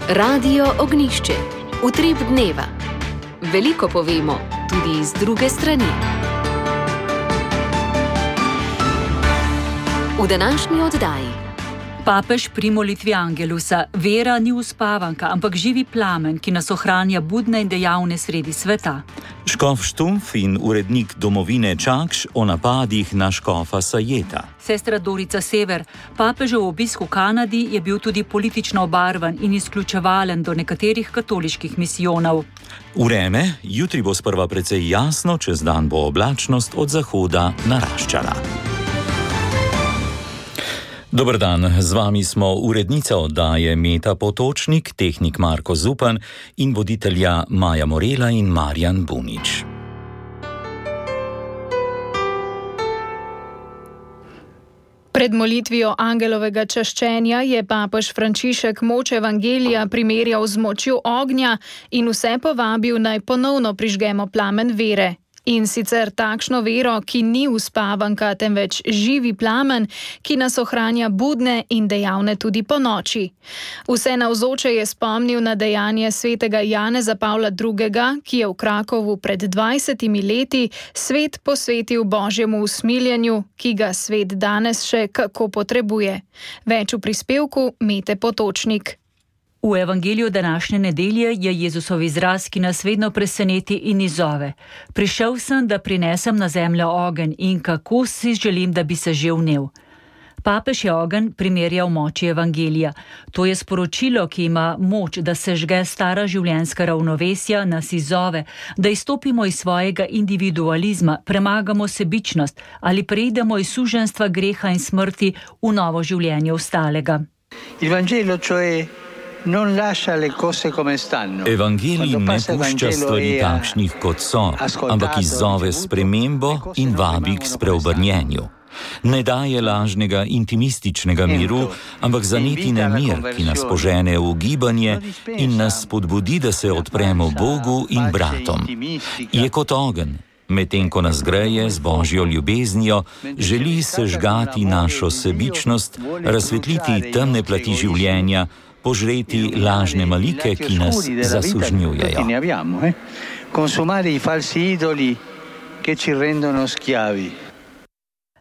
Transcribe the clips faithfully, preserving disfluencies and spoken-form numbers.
Radio Ognjišče. Utrip dneva. Veliko povemo, tudi iz druge strani. V današnji oddaji. Papež pri molitvi Angelusa. Vera ni uspavanka, ampak živi plamen, ki nas ohranja budne in dejavne sredi sveta. Škof Štumpf in urednik Domovine Čakš o napadih na škofa Sajeta. Sestra Dorica Sever. Papežev obisk v Kanadi je bil tudi politično obarvan in izključevalen do nekaterih katoliških misijonov. Vreme, jutri bo sprva precej jasno, čez dan bo oblačnost od zahoda naraščala. Dober dan, z vami smo urednica oddaje Meta Potočnik, tehnik Marko Zupan in voditelja Maja Morela in Marjan Bunič. Pred molitvijo angelovega čaščenja je papež Frančišek moč evangelija primerjal z močjo ognja in vse povabil, naj ponovno prižgemo plamen vere. In sicer takšno vero, ki ni uspavanka, temveč živi plamen, ki nas ohranja budne in dejavne tudi po noči. Vse navzoče je spomnil na dejanje svetega Janeza Pavla drugega., ki je v Krakovu pred dvajsetimi leti svet posvetil Božjemu usmiljenju, ki ga svet danes še kako potrebuje. Več v prispevku Mete Potočnik. V evangeliju današnje nedelje je Jezusov izraz, ki nas vedno preseneti in izzove. Prišel sem, da prinesem na zemljo ogenj in kako si želim, da bi se že vnel. Papež je ogenj primerjal moči evangelija. To je sporočilo, ki ima moč, da se žge stara življenjska ravnovesja, nas izzove, da izstopimo iz svojega individualizma, premagamo sebičnost ali preidemo iz suženjstva greha in smrti v novo življenje ostalega. Evangelijo, cioè non lascia le cose come stanno. Evangelij ne pušča stvari takšnih, kot so, ampak izzove spremembo in vabi k spreobrnjenju. Ne daje lažnega intimističnega miru, ampak zanetine mir, ki nas požene v gibanje in nas spodbudi, da se odpremo Bogu in bratom. Je kot ogenj. Medtem ko nas greje z Božjo ljubeznijo, želi sežgati našo sebičnost, razsvetliti temne plati življenja, požreti lažne malike, ki nas zasužnjujejo.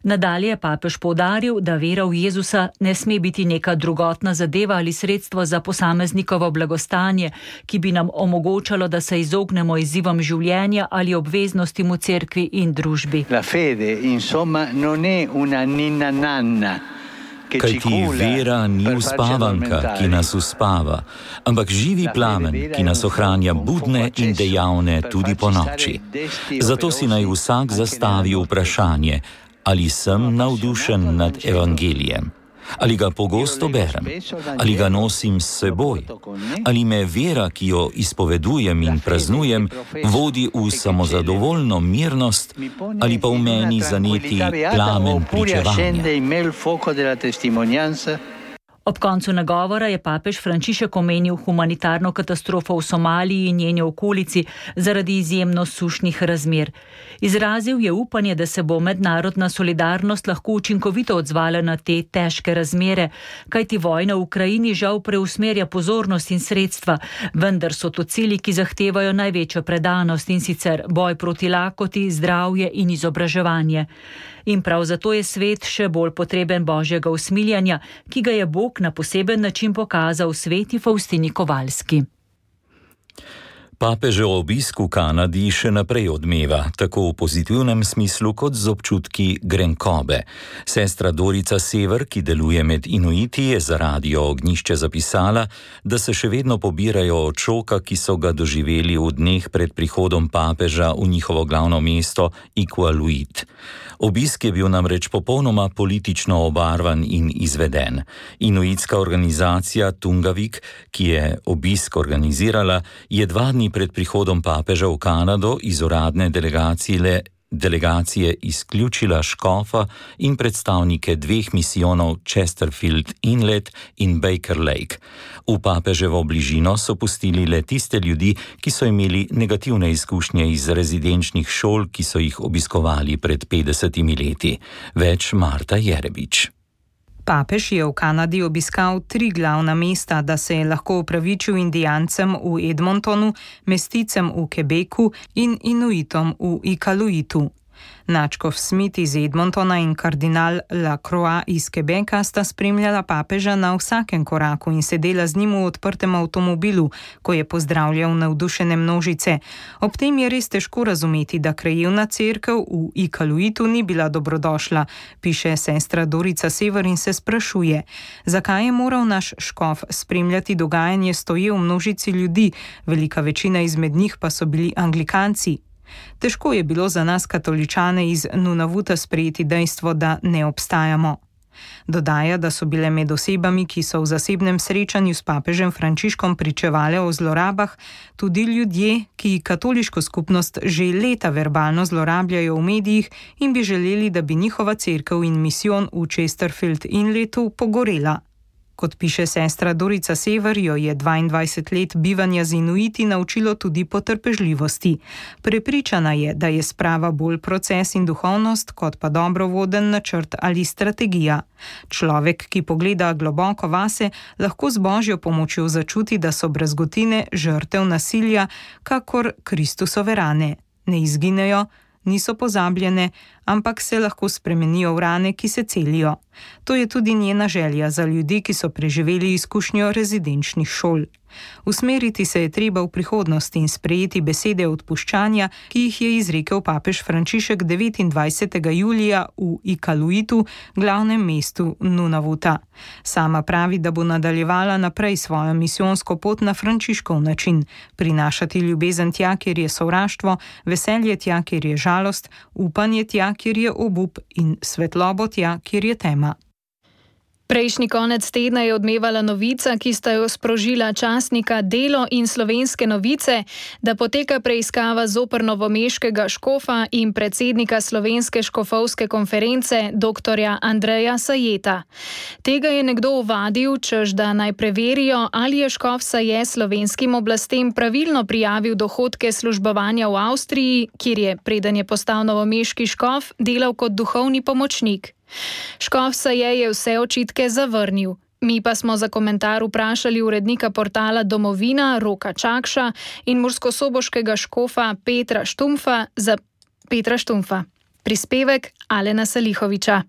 Nadalje je papež poudaril, da vera v Jezusa ne sme biti neka drugotna zadeva ali sredstvo za posameznikovo blagostanje, ki bi nam omogočalo, da se izognemo izzivom življenja ali obveznostim v cerkvi in družbi. La fede, insomma, non è una ninna nanna. Kajti vera ni uspavanka, ki nas uspava, ampak živi plamen, ki nas ohranja budne in dejavne tudi po noči. Zato si naj vsak zastavi vprašanje, ali sem navdušen nad evangelijem, ali ga pogosto berem, ali ga nosim s seboj, ali me vera, ki jo izpovedujem in praznujem, vodi v samozadovoljno mirnost, ali pa v meni zaneti plamen pričevanja. Ob koncu nagovora je papež Frančišek omenil humanitarno katastrofo v Somaliji in njeni okolici zaradi izjemno sušnih razmer. Izrazil je upanje, da se bo mednarodna solidarnost lahko učinkovito odzvala na te težke razmere, kajti vojna v Ukrajini žal preusmerja pozornost in sredstva, vendar so to cilji, ki zahtevajo največjo predanost, in sicer boj proti lakoti, zdravje in izobraževanje. In prav zato je svet še bolj potreben Božjega usmiljanja, ki ga je Bog na poseben način pokazal sveti Faustini Kovalski. Papežev obisk v Kanadi še naprej odmeva, tako v pozitivnem smislu kot z občutki grenkobe. Sestra Dorica Sever, ki deluje med Inuiti, je za Radio Ognjišče zapisala, da se še vedno pobirajo od šoka, ki so ga doživeli v dneh pred prihodom papeža v njihovo glavno mesto Iqaluit. Obisk je bil namreč popolnoma politično obarvan in izveden. Inuitska organizacija Tungavik, ki je obisk organizirala, je dva dni pred prihodom papeža v Kanado iz uradne delegacije, delegacije izključila škofa in predstavnike dveh misijonov Chesterfield Inlet in Baker Lake. V papeževo bližino so pustili le tiste ljudi, ki so imeli negativne izkušnje iz rezidenčnih šol, ki so jih obiskovali pred petdesetimi leti. Več Marta Jerebič. Papež je v Kanadi obiskal tri glavna mesta, da se je lahko opravičil Indijancem v Edmontonu, mesticem v Quebecu in Inuitom v Ikaluitu. Nadškof Smith iz Edmontona in kardinal Lacroix iz Quebeca sta spremljala papeža na vsakem koraku in sedela z njim v odprtem avtomobilu, ko je pozdravljal navdušene množice. Ob tem je res težko razumeti, da krajevna cerkev v Ikaluitu ni bila dobrodošla, piše sestra Dorica Sever in se sprašuje, zakaj je moral naš škof spremljati dogajanje stoje v množici ljudi, velika večina izmed njih pa so bili anglikanci. Težko je bilo za nas katoličane iz Nunavuta sprejeti dejstvo, da ne obstajamo. Dodaja, da so bile med osebami, ki so v zasebnem srečanju s papežem Frančiškom pričevale o zlorabah, tudi ljudje, ki katoliško skupnost že leta verbalno zlorabljajo v medijih in bi želeli, da bi njihova cerkev in misijon v Chesterfield Inletu pogorela. Kot piše sestra Dorica Sever, jo je dvaindvajset let bivanja z Inuiti naučilo tudi potrpežljivosti. Prepričana je, da je sprava bolj proces in duhovnost, kot pa dobro voden načrt ali strategija. Človek, ki pogleda globoko vase, lahko z božjo pomočjo začuti, da so brazgotine žrtev nasilja, kakor Kristusove rane. Ne izginejo, niso pozabljene, ampak se lahko spremenijo v rane, ki se celijo. To je tudi njena želja za ljudi, ki so preživeli izkušnjo rezidenčnih šol. Usmeriti se je treba v prihodnost in sprejeti besede odpuščanja, ki jih je izrekel papež Frančišek devetindvajsetega julija v Ikaluitu, glavnem mestu Nunavuta. Sama pravi, da bo nadaljevala naprej svojo misijonsko pot na Frančiškov način, prinašati ljubezen tja, kjer je sovraštvo, veselje tja, kjer je žalost, upanje tja, kjer je obup in svetlobo tja, kjer je tema. Prejšnji konec tedna je odmevala novica, ki sta jo sprožila časnika Delo in Slovenske novice, da poteka preiskava zoper novomeškega škofa in predsednika Slovenske škofovske konference doktorja Andreja Sajeta. Tega je nekdo ovadil, češ da naj preverijo, ali je škof Saje slovenskim oblastem pravilno prijavil dohodke službovanja v Avstriji, kjer je, preden je postal novomeški škof, delal kot duhovni pomočnik. Škof Saje je vse očitke zavrnil. Mi pa smo za komentar vprašali urednika portala Domovina Roka Čakša in murskosoboškega škofa Petra Štumfa za Petra Štumfa. Prispevek Alena Salihoviča.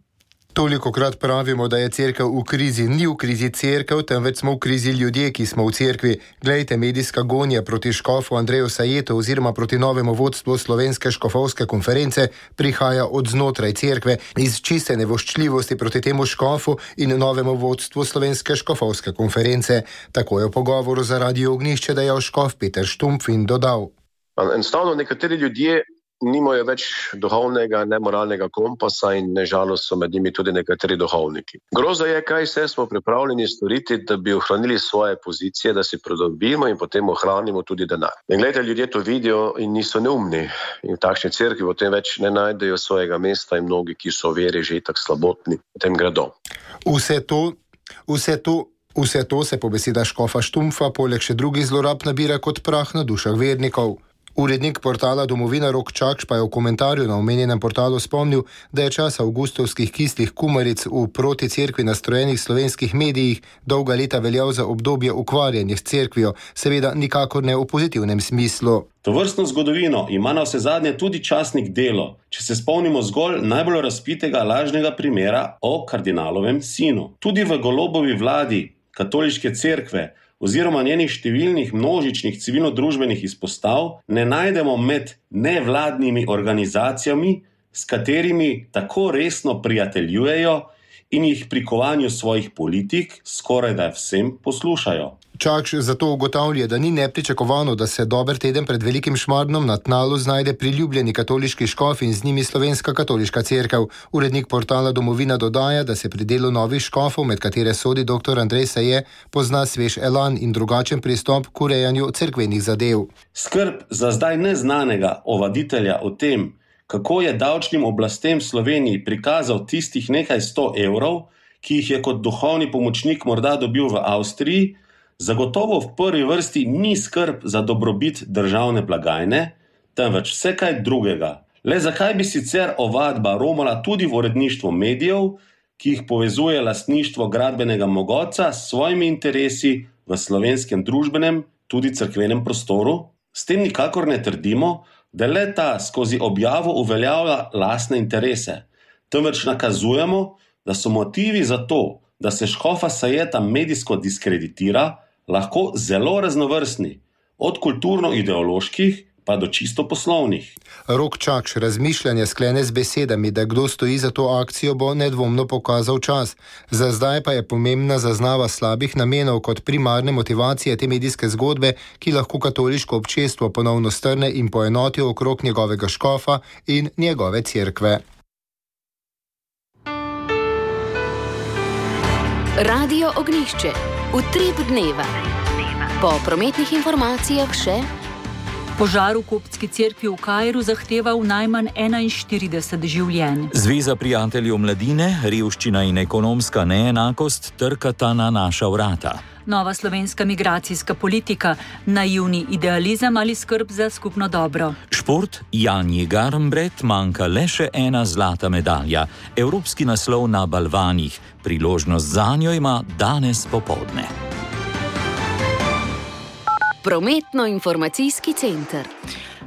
Tolikokrat pravimo, da je cerkev v krizi. Ni v krizi cerkev, temveč smo v krizi ljudje, ki smo v cerkvi. Glejte, medijska gonja proti škofu Andreju Sajetu oziroma proti novemu vodstvu Slovenske škofovske konference prihaja od znotraj cerkve, iz čiste nevoščljivosti proti temu škofu in novemu vodstvu Slovenske škofovske konference. Tako je v pogovoru za Radio Ognjišče dejal škof Peter Štumpf in dodal. Enostavno nekateri ljudje nimajo več duhovnega, nemoralnega kompasa in nežalost so med njimi tudi nekateri duhovniki. Groza je, kaj vse smo pripravljeni storiti, da bi ohranili svoje pozicije, da si pridobimo in potem ohranimo tudi denar. In gledajte, ljudje to vidijo in niso neumni. In v takšni cerkvi potem več ne najdejo svojega mesta in mnogi, ki so v veri že tak slabotni, potem gredo. Vse to, vse to, vse to se po besedah škofa Štumpfa poleg še drugih zlorab nabira kot prah na dušah vernikov. Urednik portala Domovina Rok Čakš pa je v komentarju na omenjenem portalu spomnil, da je čas avgustovskih kislih kumaric v proti cerkvi nastrojenih slovenskih medijih dolga leta veljal za obdobje ukvarjanja s cerkvijo, seveda nikakor ne v pozitivnem smislu. Tovrstno zgodovino ima na vse zadnje tudi časnik Delo, če se spomnimo zgolj najbolj razpitega lažnega primera o kardinalovem sinu. Tudi v Golobovi vladi katoliške cerkve oziroma njenih številnih množičnih civilno-družbenih izpostav ne najdemo med nevladnimi organizacijami, s katerimi tako resno prijateljujejo in jih pri kovanju svojih politik skorajda vsem poslušajo. Čakš zato ugotavlja, da ni nepričakovano, da se dober teden pred velikim šmarnom na tnalu znajde priljubljeni katoliški škof in z njimi Slovenska katoliška cerkev. Urednik portala Domovina dodaja, da se pri delu novih škofov, med katere sodi doktor Andrej Saje, pozna svež elan in drugačen pristop k urejanju cerkvenih zadev. Skrb za zdaj neznanega ovaditelja o tem, kako je davčnim oblastem v Sloveniji prikazal tistih nekaj sto evrov, ki jih je kot duhovni pomočnik morda dobil v Avstriji, zagotovo v prvi vrsti ni skrb za dobrobit državne blagajne, temveč vse kaj drugega. Le zakaj bi sicer ovadba romala tudi v uredništvo medijev, ki jih povezuje lastništvo gradbenega mogotca s svojimi interesi v slovenskem družbenem, tudi cerkvenem prostoru? S tem nikakor ne trdimo, da le ta skozi objavo uveljavlja lastne interese, temveč nakazujemo, da so motivi za to, da se škofa Sajeta medijsko diskreditira, lahko zelo raznovrstni, od kulturno-ideoloških pa do čisto poslovnih. Rok Čakš razmišljanje sklene z besedami, da kdo stoji za to akcijo, bo nedvomno pokazal čas. Za zdaj pa je pomembna zaznava slabih namenov kot primarne motivacije te medijske zgodbe, ki lahko katoliško občestvo ponovno strne in poenoti okrog njegovega škofa in njegove cerkve. Radio Ognjišče. Utrip dneva. Po prometnih informacijah še: požar v koptski cerkvi v Kairu zahteval najmanj enainštirideset življenj. Zveza prijateljev mladine, revščina in ekonomska neenakost trkata na naša vrata. Nova slovenska migracijska politika, naivni idealizem ali skrb za skupno dobro. Šport, Janji Garnbret manjka le še ena zlata medalja. Evropski naslov na balvanih. Priložnost zanjo ima danes popoldne. Prometno-informacijski center.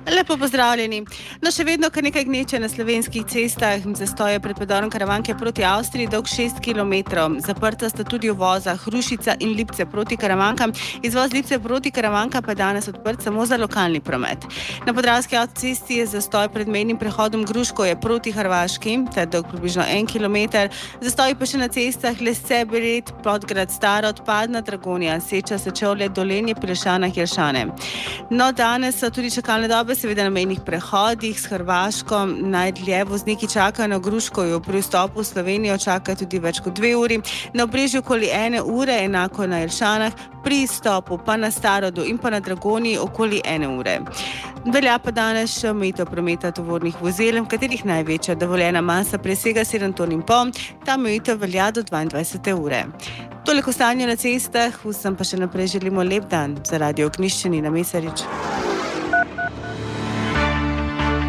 Lepo pozdravljeni. No, še vedno kar nekaj gneče na slovenskih cestah. Zastoje pred predorom Karavanke proti Avstriji dolg šest kilometrov. Zaprta sta tudi uvoza Hrušica in Lipce proti Karavankam. Izvoz Lipce proti Karavanka pa je danes odprt samo za lokalni promet. Na Podravski avtocesti je zastoj pred mejnim prehodom Gruškovje proti Hrvaški, ta je dolg približno en kilometer. Zastoj pa še na cestah Lesce, Bered, Podgrad, Stara, Odpadna, Dragonja, Seča, Sečovlje, Dolenje, Pilešana, Jelšane. No, danes so tudi čakalne dobe seveda na mejnih prehodih s Hrvaško. Najdlje vozniki čakajo na Gruškovju, pri vstopu v Slovenijo čakajo tudi več kot dve uri, na Obrežju okoli ene ure, enako na Jelšanah, pri izstopu pa na Starodu in pa na Dragonji okoli ene ure. Velja pa danes še omejitev prometa tovornih vozil, v katerih največja dovoljena masa presega sedem ton in pol, ta omejitev velja do dvaindvajsete ure. Toliko stanje na cestah, vsem pa še naprej želimo lep dan. Za Radio Ognjišče Nina Mesarič.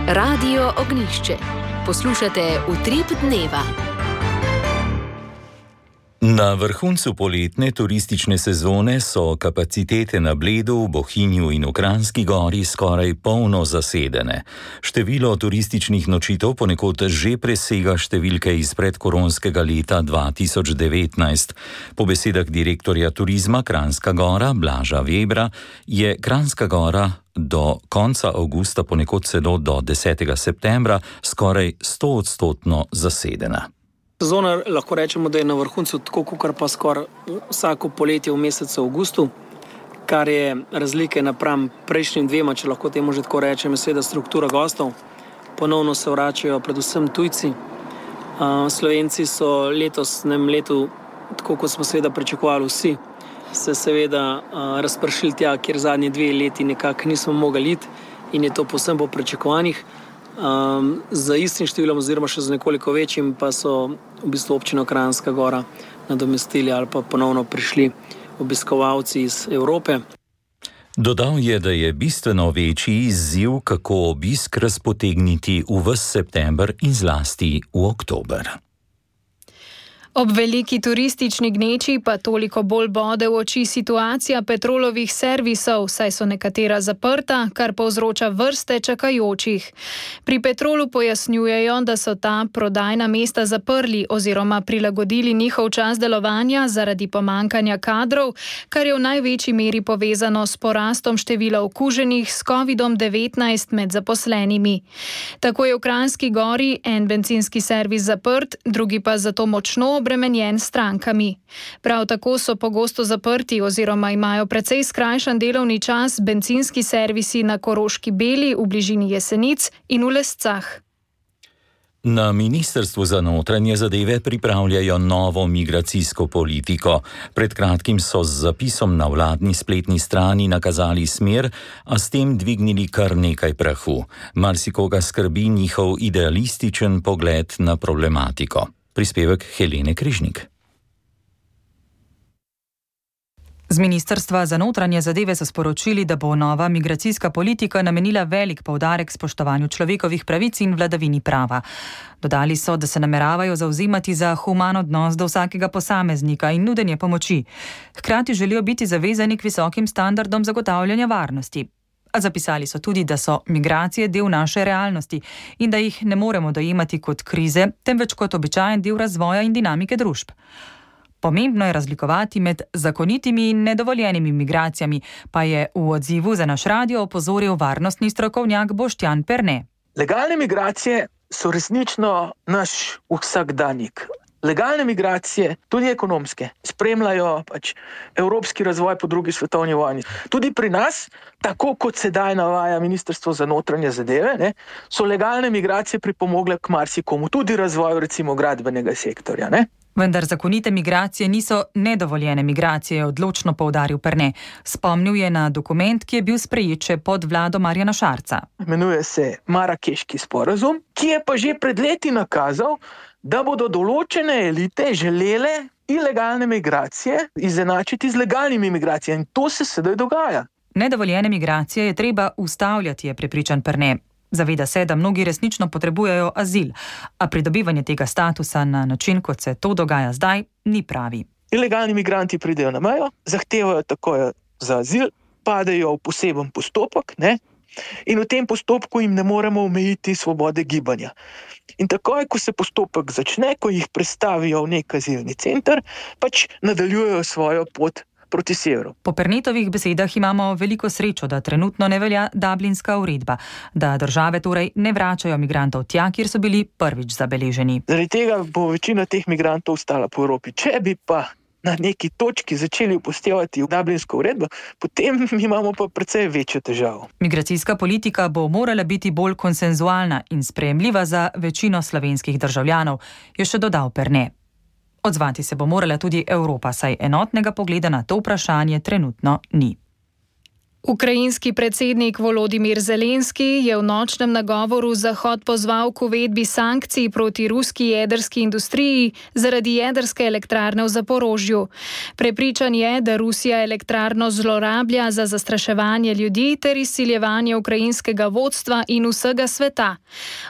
Radio Ognjišče. Poslušate Utrip dneva. Na vrhuncu poletne turistične sezone so kapacitete na Bledu, v Bohinju in v Kranjski Gori skoraj polno zasedene. Število turističnih nočitev ponekod že presega številke iz predkoronskega leta dva tisoč devetnajst. Po besedah direktorja turizma Kranjska Gora Blaža Vebra je Kranjska Gora do konca avgusta, ponekod celo do desetega septembra, skoraj stoodstotno zasedena. Sezona lahko rečemo, da je na vrhuncu tako, kot pa skoraj vsako poletje v mesecu avgustu, kar je razlike napram prejšnjim dvema, če lahko temu že tako rečem, seveda struktura gostov. Ponovno se vračajo predvsem tujci. Slovenci so letosnem letu, tako kot smo seveda pričakovali vsi, se seveda razpršili tja, kjer zadnji dve leti nekako nismo mogli iti in je to povsem po pričakovanjih. Um, za istim številom oziroma še z nekoliko večjim pa so v bistvu občino Kranjska Gora nadomestili ali pa ponovno prišli obiskovalci iz Evrope. Dodal je, da je bistveno večji izziv, kako obisk razpotegniti v ves september in zlasti v oktober. Ob veliki turistični gneči pa toliko bolj bode v oči situacija Petrolovih servisov, saj so nekatera zaprta, kar povzroča vrste čakajočih. Pri Petrolu pojasnjujejo, da so ta prodajna mesta zaprli oziroma prilagodili njihov čas delovanja zaradi pomankanja kadrov, kar je v največji meri povezano s porastom števila okuženih s kovidom devetnajst med zaposlenimi. Tako je v Kranjski Gori en bencinski servis zaprt, drugi pa zato močno obremenjen s strankami. Prav tako so pogosto zaprti oziroma imajo precej skrajšan delovni čas bencinski servisi na Koroški Beli v bližini Jesenic in v Lescah. Na Ministrstvu za notranje zadeve pripravljajo novo migracijsko politiko. Pred kratkim so z zapisom na vladni spletni strani nakazali smer, a s tem dvignili kar nekaj prahu. Marsikoga skrbi njihov idealističen pogled na problematiko. Prispevek Helene Križnik. Z Z Ministrstva za notranje zadeve so sporočili, da bo nova migracijska politika namenila velik poudarek spoštovanju človekovih pravic in vladavini prava. Dodali so, da se nameravajo zavzemati za human odnos do vsakega posameznika in nudenje pomoči. Hkrati želijo biti zavezani k visokim standardom zagotavljanja varnosti. A zapisali so tudi, da so migracije del naše realnosti in da jih ne moremo dojemati kot krize, temveč kot običajen del razvoja in dinamike družb. Pomembno je razlikovati med zakonitimi in nedovoljenimi migracijami, pa je v odzivu za naš radio opozoril varnostni strokovnjak Boštjan Perne. Legalne migracije so resnično naš vsakdanjik. Legalne migracije, tudi ekonomske, spremljajo pač evropski razvoj po drugi svetovni vojni. Tudi pri nas, tako kot sedaj navaja Ministrstvo za notranje zadeve, ne, so legalne migracije pripomogle k marsikomu, tudi razvoju recimo gradbenega sektorja. Ne. Vendar zakonite migracije niso nedovoljene migracije, je odločno poudaril Perne. Spomnil je na dokument, ki je bil sprejet še pod vlado Marjana Šarca. Imenuje se Marakeški sporazum, ki je pa že pred leti nakazal, da bodo določene elite želele ilegalne migracije izenačiti z legalnimi migracijami. In to se sedaj dogaja. Nedovoljene migracije je treba ustavljati, je prepričan Perne. Zaveda se, da mnogi resnično potrebujejo azil, a pridobivanje tega statusa na način, kot se to dogaja zdaj, ni pravi. Ilegalni migranti pridejo na mejo, zahtevajo takoj za azil, padejo v poseben postopek, ne? In v tem postopku jim ne moremo omejiti svobode gibanja. In takoj, ko se postopek začne, ko jih prestavijo v nek azilni center, pač nadaljujejo svojo pot proti severu. Po Pernetovih besedah imamo veliko srečo, da trenutno ne velja Dublinska uredba, da države torej ne vračajo migrantov tja, kjer so bili prvič zabeleženi. Zaradi tega bo večina teh migrantov ostala po Evropi. Če bi pa na neki točki začeli upoštevati Dublinsko uredbo, potem imamo pa precej večjo težavo. Migracijska politika bo morala biti bolj konsenzualna in sprejemljiva za večino slovenskih državljanov, je še dodal Perne. Odzvati se bo morala tudi Evropa, saj enotnega pogleda na to vprašanje trenutno ni. Ukrajinski predsednik Volodimir Zelenski je v nočnem nagovoru Zahod pozval k uvedbi sankcij proti ruski jedrski industriji zaradi jedrske elektrarne v Zaporožju. Prepričan je, da Rusija elektrarno zlorablja za zastraševanje ljudi ter izsiljevanje ukrajinskega vodstva in vsega sveta.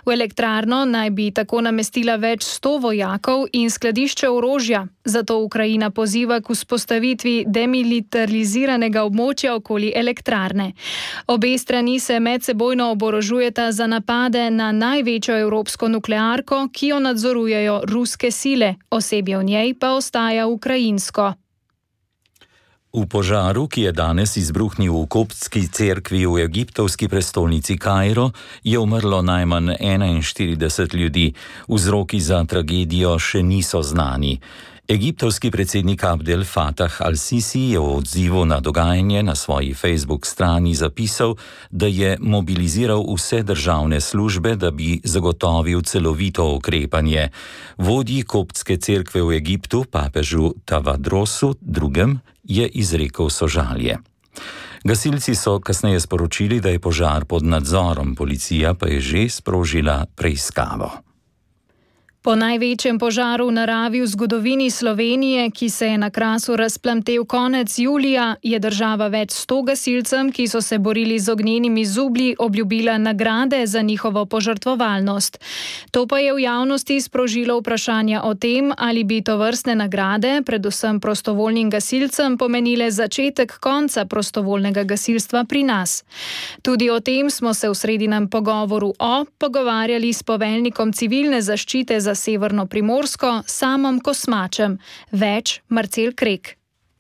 V elektrarno naj bi tako namestila več sto vojakov in skladišče orožja, zato Ukrajina poziva k vzpostavitvi demilitariziranega območja okoli elektrarne. Obe strani se medsebojno oborožujeta za napade na največjo evropsko nuklearko, ki jo nadzorujejo ruske sile, osebje v njej pa ostaja ukrajinsko. V požaru, ki je danes izbruhnil v koptski cerkvi v egiptovski prestolnici Kairo, je umrlo najmanj enainštirideset ljudi. Vzroki za tragedijo še niso znani. Egiptovski predsednik Abdel Fattah al-Sisi je v odzivu na dogajanje na svoji Facebook strani zapisal, da je mobiliziral vse državne službe, da bi zagotovil celovito ukrepanje. Vodji koptske cerkve v Egiptu, papežu Tavadrosu drugem, je izrekel sožalje. Gasilci so kasneje sporočili, da je požar pod nadzorom, policija pa je že sprožila preiskavo. Po največjem požaru v naravi v zgodovini Slovenije, ki se je na Krasu razplamtel konec julija, je država več sto gasilcem, ki so se borili z ognjenimi zublji, obljubila nagrade za njihovo požrtvovalnost. To pa je v javnosti sprožilo vprašanja o tem, ali bi tovrstne nagrade, predvsem prostovoljnim gasilcem, pomenile začetek konca prostovoljnega gasilstva pri nas. Tudi o tem smo se v sredinem pogovoru o pogovarjali s poveljnikom civilne zaščite za Severno Primorsko, Samom Kosmačem. Več Marcel Krek.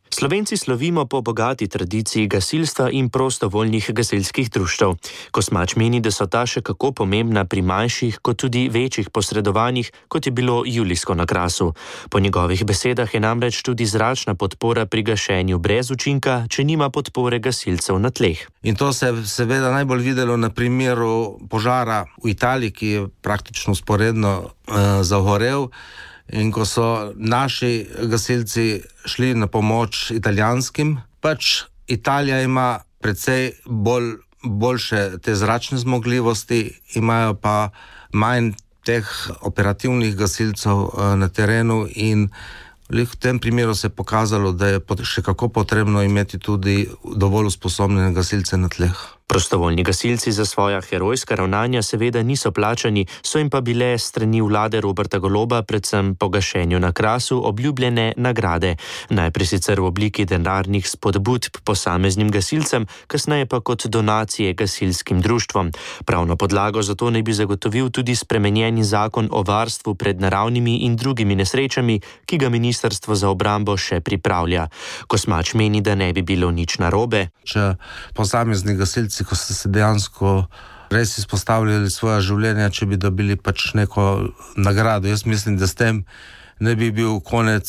Slovenci slovimo po bogati tradiciji gasilstva in prostovoljnih gasilskih društev. Kosmač meni, da so ta še kako pomembna pri manjših kot tudi večjih posredovanjih, kot je bilo julijsko na Krasu. Po njegovih besedah je namreč tudi zračna podpora pri gašenju brez učinka, če nima podpore gasilcev na tleh. In to se je seveda najbolj videlo na primeru požara v Italiji, ki je praktično sporedno uh, zagorel. In ko so naši gasilci šli na pomoč italijanskim, pač Italija ima precej bolj, boljše te zračne zmogljivosti, imajo pa manj teh operativnih gasilcev na terenu in V tem primeru se je pokazalo, da je še kako potrebno imeti tudi dovolj usposobljene gasilce na tleh. Prostovoljni gasilci za svoja herojska ravnanja seveda niso plačani, so jim pa bile strani vlade Roberta Goloba predvsem po gašenju na Krasu obljubljene nagrade. Najprej sicer v obliki denarnih spodbud posameznim gasilcem, kasneje pa kot donacije gasilskim društvom. Pravno podlago za to naj bi zagotovil tudi spremenjeni zakon o varstvu pred naravnimi in drugimi nesrečami, ki ga Ministrstvo za obrambo še pripravlja. Kosmač meni, da ne bi bilo nič narobe. Če posamezni gasilci, ko ste se dejansko res izpostavljali svoja življenja, če bi dobili pač neko nagrado. Jaz mislim, da s tem ne bi bil konec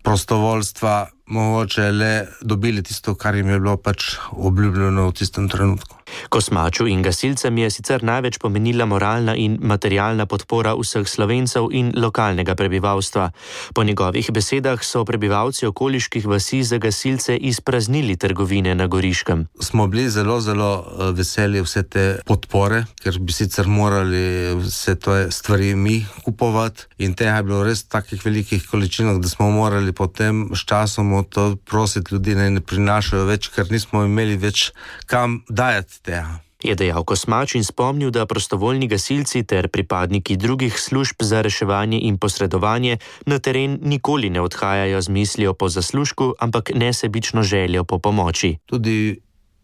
prostovoljstva, mogoče le dobili tisto, kar jim je bilo pač obljubljeno v tistem trenutku. Kosmaču in gasilcem je sicer največ pomenila moralna in materialna podpora vseh Slovencev in lokalnega prebivalstva. Po njegovih besedah so prebivalci okoliških vasi za gasilce izpraznili trgovine na Goriškem. Smo bili zelo, zelo veseli vse te podpore, ker bi sicer morali vse te stvari mi kupovati in tega je bilo res v takih velikih količinah, da smo morali potem s časom to prositi ljudi, naj ne prinašajo več, ker nismo imeli več kam dajati tega. Je dejal Kosmač in spomnil, da prostovoljni gasilci ter pripadniki drugih služb za reševanje in posredovanje na teren nikoli ne odhajajo z mislijo po zaslužku, ampak nesebično željo po pomoči. Tudi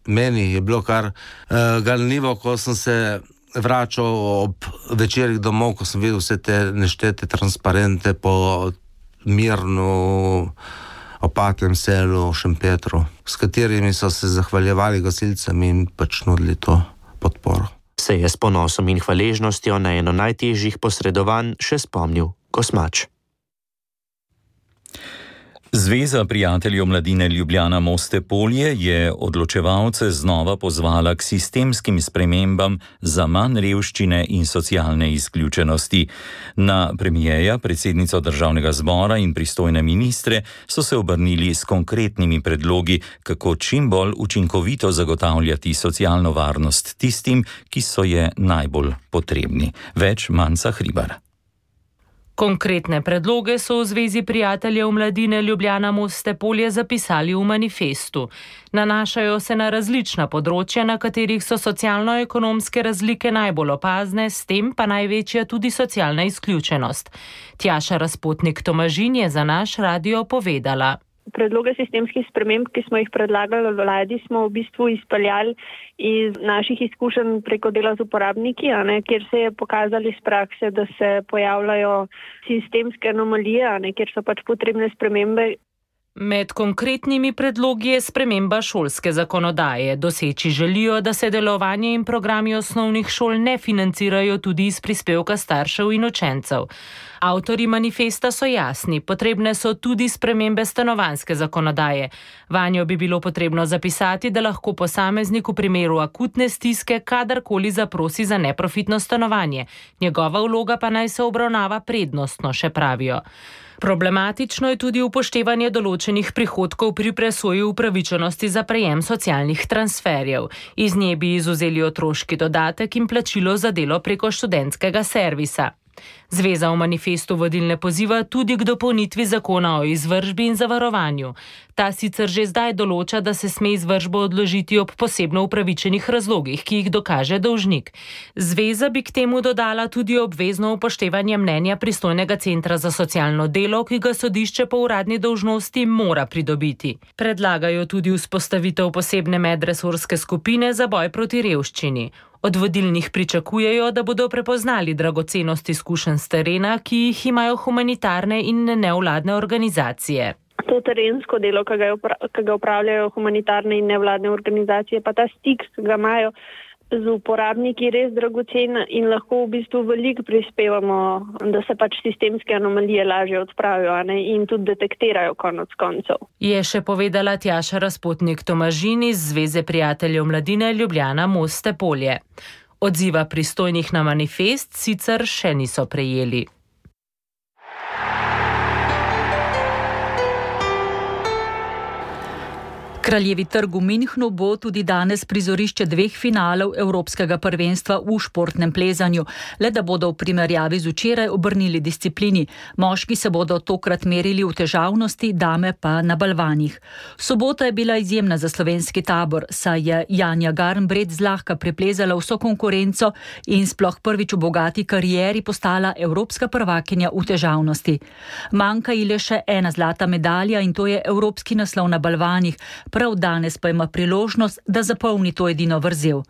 meni je bilo kar uh, ganljivo, ko sem se vračal ob večerih domov, ko sem videl vse te neštete transparente po Mirnu, Opatlem selu, Šempetru, s katerimi so se zahvaljevali gasilcem in pač nudili to podporo. Se je s ponosom in hvaležnostjo na eno najtežjih posredovanj še spomnil Kosmač. Zveza prijateljev mladine Ljubljana Moste-Polje je odločevalce znova pozvala k sistemskim spremembam za manj revščine in socialne izključenosti. Na premijeja, predsednico Državnega zbora in pristojne ministre so se obrnili s konkretnimi predlogi, kako čim bolj učinkovito zagotavljati socialno varnost tistim, ki so je najbolj potrebni. Več Manca Hribar. Konkretne predloge so v Zvezi prijateljev mladine Ljubljana Moste-Polje zapisali v manifestu. Nanašajo se na različna področja, na katerih so socialno-ekonomske razlike najbolj opazne, s tem pa največja tudi socialna izključenost. Tjaša Razpotnik-Tomažin je za naš radio povedala. Predloge sistemskih sprememb, ki smo jih predlagali v vladi, smo v bistvu izpeljali iz naših izkušenj preko dela z uporabniki, a ne, kjer se je pokazali iz prakse, da se pojavljajo sistemske anomalije, a ne, kjer so pač potrebne spremembe. Med konkretnimi predlogi je sprememba šolske zakonodaje. Doseči želijo, da se delovanje in programi osnovnih šol ne financirajo tudi iz prispevka staršev in učencev. Avtorji manifesta so jasni, potrebne so tudi spremembe stanovanjske zakonodaje. Vanjo bi bilo potrebno zapisati, da lahko posameznik v primeru akutne stiske kadarkoli zaprosi za neprofitno stanovanje. Njegova vloga pa naj se obravnava prednostno, še pravijo. Problematično je tudi upoštevanje določenih prihodkov pri presoji upravičenosti za prejem socialnih transferjev. Iz nje bi izvzeli otroški dodatek in plačilo za delo preko študentskega servisa. Zveza v manifestu vodilne poziva tudi k dopolnitvi zakona o izvršbi in zavarovanju. Ta sicer že zdaj določa, da se sme izvršbo odložiti ob posebno upravičenih razlogih, ki jih dokaže dolžnik. Zveza bi k temu dodala tudi obvezno upoštevanje mnenja pristojnega centra za socialno delo, ki ga sodišče po uradni dolžnosti mora pridobiti. Predlagajo tudi vzpostavitev posebne medresorske skupine za boj proti revščini. Od vodilnih pričakujejo, da bodo prepoznali dragocenost izkušenj s terena, ki jih imajo humanitarne in nevladne organizacije. To terensko delo, ki ga upravljajo humanitarne in nevladne organizacije, pa ta stik, ki ga imajo z uporabniki, res dragocen in lahko v bistvu veliko prispevamo, da se pač sistemske anomalije lažje odpravijo, a ne, in tudi detektirajo konec koncev. Je še povedala Tjaša Razpotnik-Tomažin iz Zveze prijateljev mladine Ljubljana Moste-Polje. Odziva pristojnih na manifest sicer še niso prejeli. Kraljevi trg v Münchnu bo tudi danes prizorišče dveh finalov Evropskega prvenstva v športnem plezanju, le da bodo v primerjavi z včeraj obrnili disciplini. Moški se bodo tokrat merili v težavnosti, dame pa na balvanih. Sobota je bila izjemna za slovenski tabor, saj je Janja Garnbret zlahka preplezala vso konkurenco in sploh prvič v bogati karieri postala evropska prvakinja v težavnosti. Manjka ji le še ena zlata medalja in to je evropski naslov na balvanih. Prav danes pa ima priložnost, da zapolni to edino vrzel.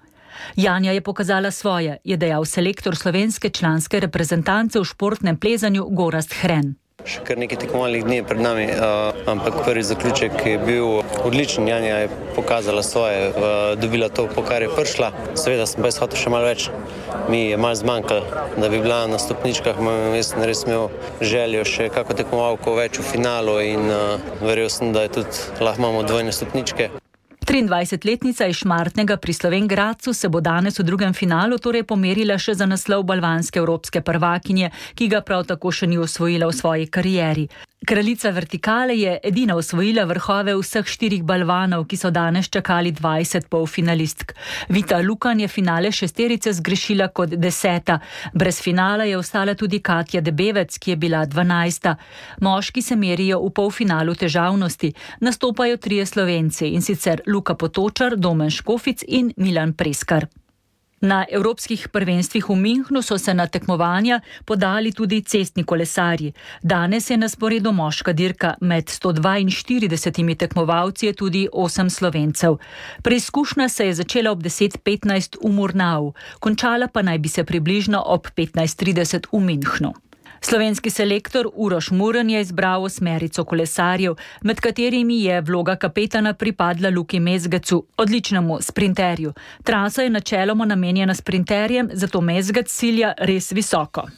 Janja je pokazala svoje, je dejal selektor slovenske članske reprezentance v športnem plezanju Gorazd Hren. Še kar nekaj tekmovalnih dni je pred nami, uh, ampak prvi zaključek je bil odličen. Janja je pokazala svoje, uh, dobila to, po kar je prišla. Seveda sem pa jaz hotel še malo več. Mi je malo zmanjkalo, da bi bila na stopničkah. Jaz sem res imel željo še kako tekmovalko več v finalu in uh, verjel sem, da je tudi lahko imamo dvojne stopničke. triindvajsetletnica iz Šmartnega pri Slovenj Gradcu se bo danes v drugem finalu torej pomerila še za naslov balvanske evropske prvakinje, ki ga prav tako še ni osvojila v svoji karieri. Kraljica vertikale je edina osvojila vrhove vseh štirih balvanov, ki so danes čakali dvajset polfinalistk. Vita Lukan je finale šesterice zgrešila kot deseta. Brez finala je ostala tudi Katja Debevec, ki je bila dvanajsta. Moški se merijo v polfinalu težavnosti. Nastopajo trije Slovenci, in sicer Luka Potočar, Domen Škofic in Milan Preskar. Na evropskih prvenstvih v Münchnu so se na tekmovanja podali tudi cestni kolesarji. Danes je na sporedu moška dirka, med sto dvainštiridesetimi tekmovalci je tudi osem Slovencev. Preizkušnja se je začela ob deset petnajst v Murnau, končala pa naj bi se približno ob petnajst trideset v Münchnu. Slovenski selektor Uroš Murn je izbral osmerico kolesarjev, med katerimi je vloga kapetana pripadla Luki Mezgecu, odličnemu sprinterju. Trasa je načeloma namenjena sprinterjem, zato Mezgec cilja res visoko.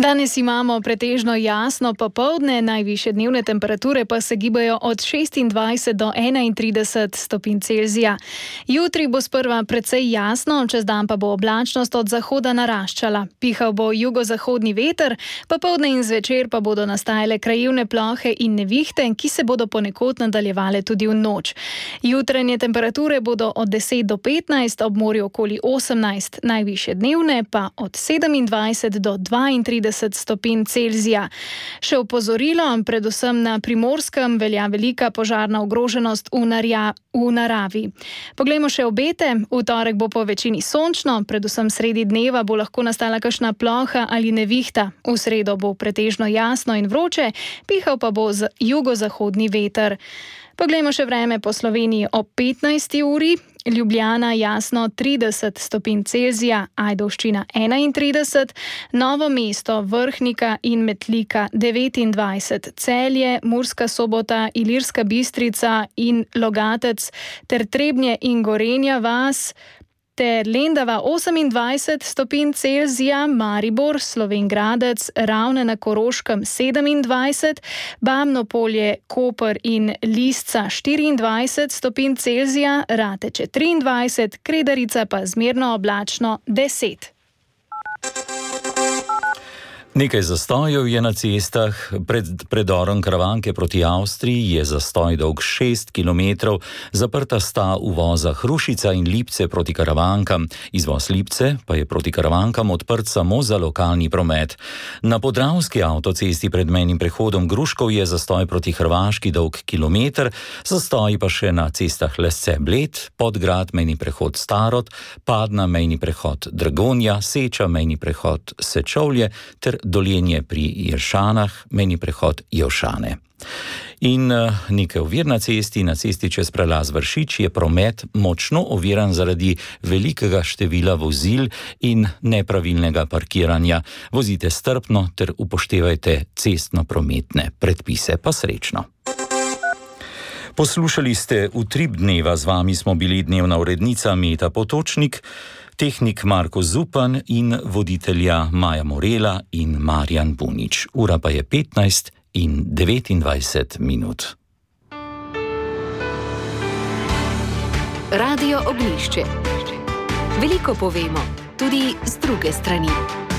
Danes imamo pretežno jasno popoldne, najvišje dnevne temperature pa se gibajo od šestindvajset do enaintrideset stopinj Celzija. Jutri bo sprva precej jasno, čez dan pa bo oblačnost od zahoda naraščala. Pihal bo jugozahodni veter, popoldne in zvečer pa bodo nastajale krajevne plohe in nevihte, ki se bodo ponekod nadaljevale tudi v noč. Jutranje temperature bodo od deset do petnajst, ob morju okoli osemnajst, najvišje dnevne pa od sedemindvajset do dvaintrideset stopinj Celzija. Še opozorilo, predvsem na Primorskem velja velika požarna ogroženost v, narja, v naravi. Poglejmo še obete. V torek bo po večini sončno, predvsem sredi dneva bo lahko nastala kakšna ploha ali nevihta. V sredo bo pretežno jasno in vroče, pihal pa bo z jugozahodni veter. Poglejmo še vreme po Sloveniji ob petnajsti uri. Ljubljana jasno trideset stopinj Celzija, Ajdovščina enaintrideset, Novo mesto, Vrhnika in Metlika devetindvajset, Celje, Murska Sobota, Ilirska Bistrica in Logatec ter Trebnje in Gorenja vas ter Lendava osemindvajset stopinj Celzija, Maribor, Slovenj Gradec, Ravne na Koroškem sedemindvajset, Bamno polje, Koper in Lisca štiriindvajset stopinj Celzija, Rateče triindvajset, Kredarica pa zmerno oblačno deset. Nekaj zastojev je na cestah. Pred predorom Karavanke proti Avstriji je zastoj dolg šest kilometrov, zaprta sta uvoza Hrušica in Lipce proti Karavankam. Izvoz Lipce pa je proti Karavankam odprt samo za lokalni promet. Na podravski avtocesti pred mejnim prehodom Gruškov je zastoj proti Hrvaški dolg kilometr, zastoji pa še na cestah Lesce-Bled, Podgrad, mejni prehod Starod, Padna, mejni prehod Dragonja, Seča, mejni prehod Sečovlje ter Doljenje pri Jeršanah, mejni prehod Jevšane. In nekaj ovir na cesti, na cesti čez prelaz Vršič je promet močno oviran zaradi velikega števila vozil in nepravilnega parkiranja. Vozite strpno ter upoštevajte cestno-prometne predpise, pa srečno. Poslušali ste Utrip dneva, z vami smo bili dnevna urednica Meta Potočnik, tehnik Marko Zupan in voditelja Maja Morela in Marjan Bunič. Ura pa je petnajst in devetindvajset minut. Radio Oglišče. Veliko povemo, tudi z druge strani.